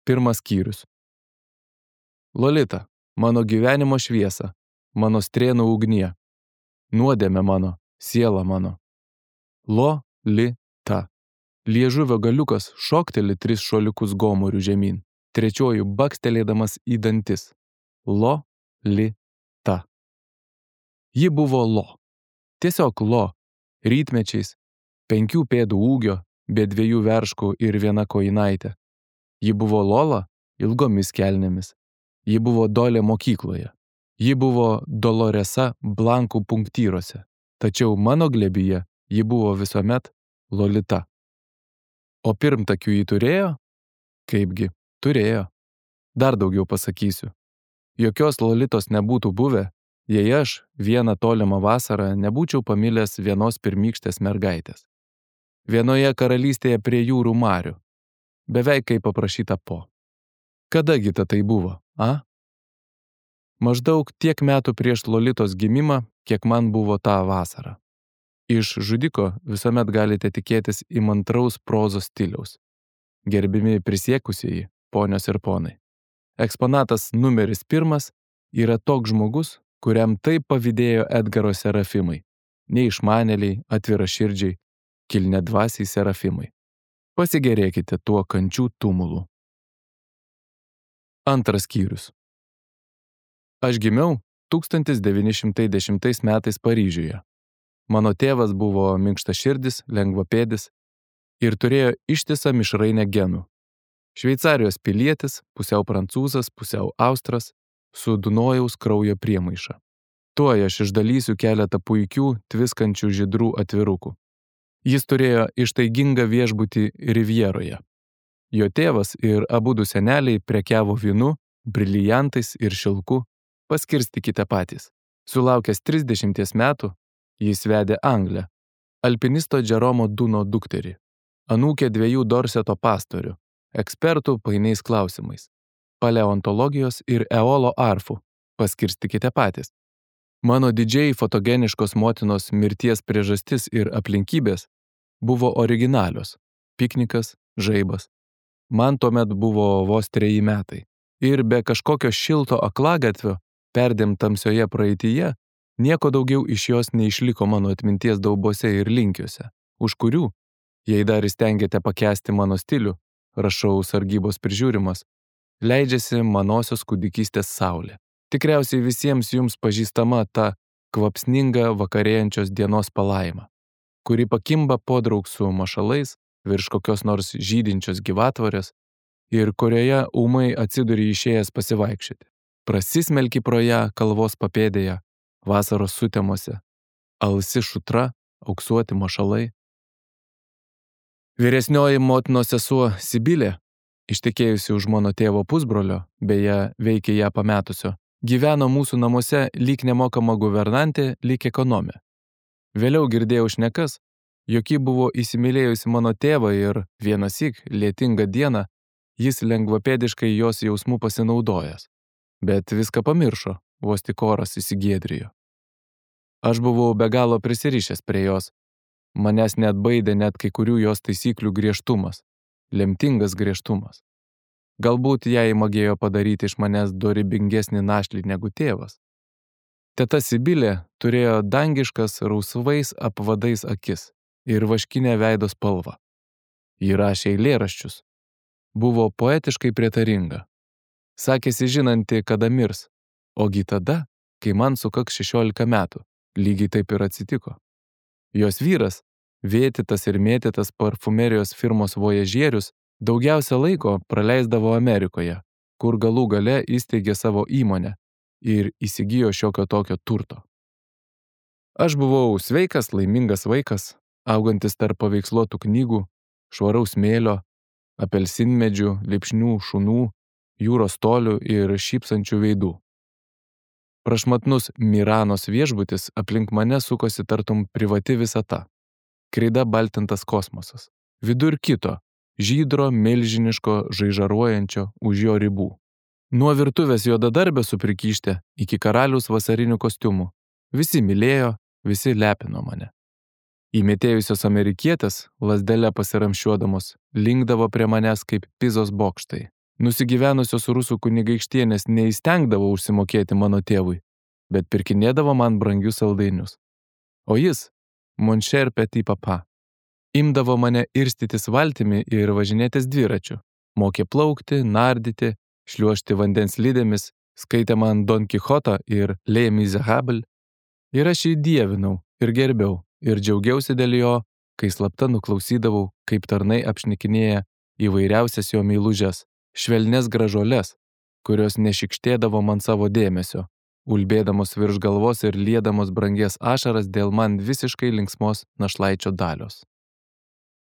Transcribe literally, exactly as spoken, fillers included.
Pirmas skyrius. Lolita, mano gyvenimo šviesa, mano strėnų ugnie, nuodėmė mano, siela mano. Lo-li-ta. Liežuvio galiukas šokteli tris šuoliukus gomurių žemyn, trečioju bakstelėdamas į dantis. Lo-li-ta. Ji buvo lo. Tiesiog lo, rytmečiais, penkių pėdų ūgio, be dviejų verškų ir viena kojinaitė. Ji buvo Lola ilgomis kelnėmis. Ji buvo Dolė mokykloje. Ji buvo Doloresa blankų punktyrose. Tačiau mano glebyje ji buvo visuomet Lolita. O pirmtakių jį turėjo? Kaipgi, turėjo. Dar daugiau pasakysiu. Jokios Lolitos nebūtų buvę, jei aš vieną tolimą vasarą nebūčiau pamilęs vienos pirmykštės mergaitės. Vienoje karalystėje prie jūrų marių. Beveik kaip paprašyta po. Kadagi ta tai buvo, a? Maždaug tiek metų prieš Lolitos gimimą, kiek man buvo tą vasarą. Iš žudiko visuomet galite tikėtis įmantraus prozos stiliaus. Gerbimi prisiekusieji, ponios ir ponai. Eksponatas numeris pirmas yra toks žmogus, kuriam taip pavydėjo Edgaro serafimai. Neišmanėliai, atviraširdžiai, kilniadvasiai serafimai. Pasigerėkite tuo kančių tumulu. Antras skyrius. Aš gimiau tūkstantis devyni šimtai dešimtais metais Paryžiuje. Mano tėvas buvo minkštaširdis, lengvapėdis ir turėjo ištisą mišrainę genų. Šveicarijos pilietis, pusiau prancūzas, pusiau austras, su Dunojaus kraujo priemaiša. Tuoj aš išdalysiu keletą puikių, tviskančių žydrų atvirukų. Jis turėjo ištaigingą viešbutį Rivjeroje. Jo tėvas ir abudu seneliai prekiavo vynu, briliantais ir šilku, paskirstykite patys. Sulaukęs trisdešimties metų, jis vedė Anglę, alpinisto Džeromo Duno dukterį, anūkę dviejų Dorseto pastorių, ekspertų painiais klausimais, paleontologijos ir eolo arfų, paskirstykite patys. Mano didžiai fotogeniškos motinos mirties priežastis ir aplinkybės buvo originalios – piknikas, žaibas. Man tuomet buvo vos treji metai ir be kažkokio šilto aklagatvio, perdėm tamsioje praeityje, nieko daugiau iš jos neišliko mano atminties daubose ir linkiuose, už kurių, jei dar įstengiate pakęsti mano stilių, rašau sargybos prižiūrimas, leidžiasi manosios kūdikystės saulė. Tikriausiai visiems jums pažįstama ta kvapsninga vakarėjančios dienos palaima, kuri pakimba podraug su mašalais virš kokios nors žydinčios gyvatvorės ir kurioje ūmai atsiduri išėjęs pasivaikščioti. Prasismelki pro ją kalvos papėdėje, vasaros sutemose, alsi šutra, auksuoti mašalai. Vyresnioji motinos sesuo Sibilė, ištekėjusi už mano tėvo pusbrolio, beje, veikė ją pametusio, gyveno mūsų namuose lyg nemokama guvernantė, lyg ekonomė. Vėliau girdėjau šnekas, jog ji buvo įsimylėjusi mano tėvą ir vienąsyk, lietingą dieną, jis lengvapėdiškai jos jausmų pasinaudojęs. Bet viską pamiršo, vos tik oras įsigiedrijo. Aš buvau be galo prisirišęs prie jos. Manęs net baidė net kai kurių jos taisyklių griežtumas, lemtingas griežtumas. Galbūt jai magėjo padaryti iš manęs dorybingesnį našlį negu tėvas. Teta Sibilė turėjo dangiškas rausvais apvadais akis ir vaškinę veido spalvą. Ji rašė eilėraščius. Buvo poetiškai prietaringa. Sakėsi žinanti, kada mirs, ogi tada, kai man sukaks šešiolika metų, lygiai taip ir atsitiko. Jos vyras, vėtytas ir mėtytas parfumerijos firmos vojažierius, daugiausia laiko praleisdavo Amerikoje, kur galų gale įsteigė savo įmonę ir įsigijo šiokio tokio turto. Aš buvau sveikas, laimingas vaikas, augantis tarp paveiksluotų knygų, švaraus smėlio, apelsinmedžių, lipšnių, šunų, jūros tolių ir šypsančių veidų. Prašmatnus Miranos viešbutis aplink mane sukosi tartum privati visata. Kreida baltintas kosmosas. Vidur kito, žydro, milžiniško, žaižaruojančio už jo ribų. Nuo virtuvės juodadarbio suprikyštė iki karaliaus vasarinių kostiumų. Visi mylėjo, visi lepino mane. Įmetėjusios amerikietės, lazdele pasiramšiuodamos, linkdavo prie manęs kaip Pizos bokštai. Nusigyvenusios rusų kunigaikštienės neįstengdavo užsimokėti mano tėvui, bet pirkinėdavo man brangius saldainius. O jis, mon cher petit papa, imdavo mane irstytis valtimi ir važinėtis dviračiu, mokė plaukti, nardyti, šliuožti vandens lydėmis, skaitė man Don Kichotą ir Les Miserables, ir aš jį dievinau ir gerbiau ir džiaugiausi dėl jo, kai slapta nuklausydavau, kaip tarnai apšnikinėja įvairiausias jo meilužes, švelnes gražuoles, kurios nešikštėdavo man savo dėmesio, ulbėdamos virš galvos ir liedamos brangies ašaras dėl man visiškai linksmos našlaičio dalios.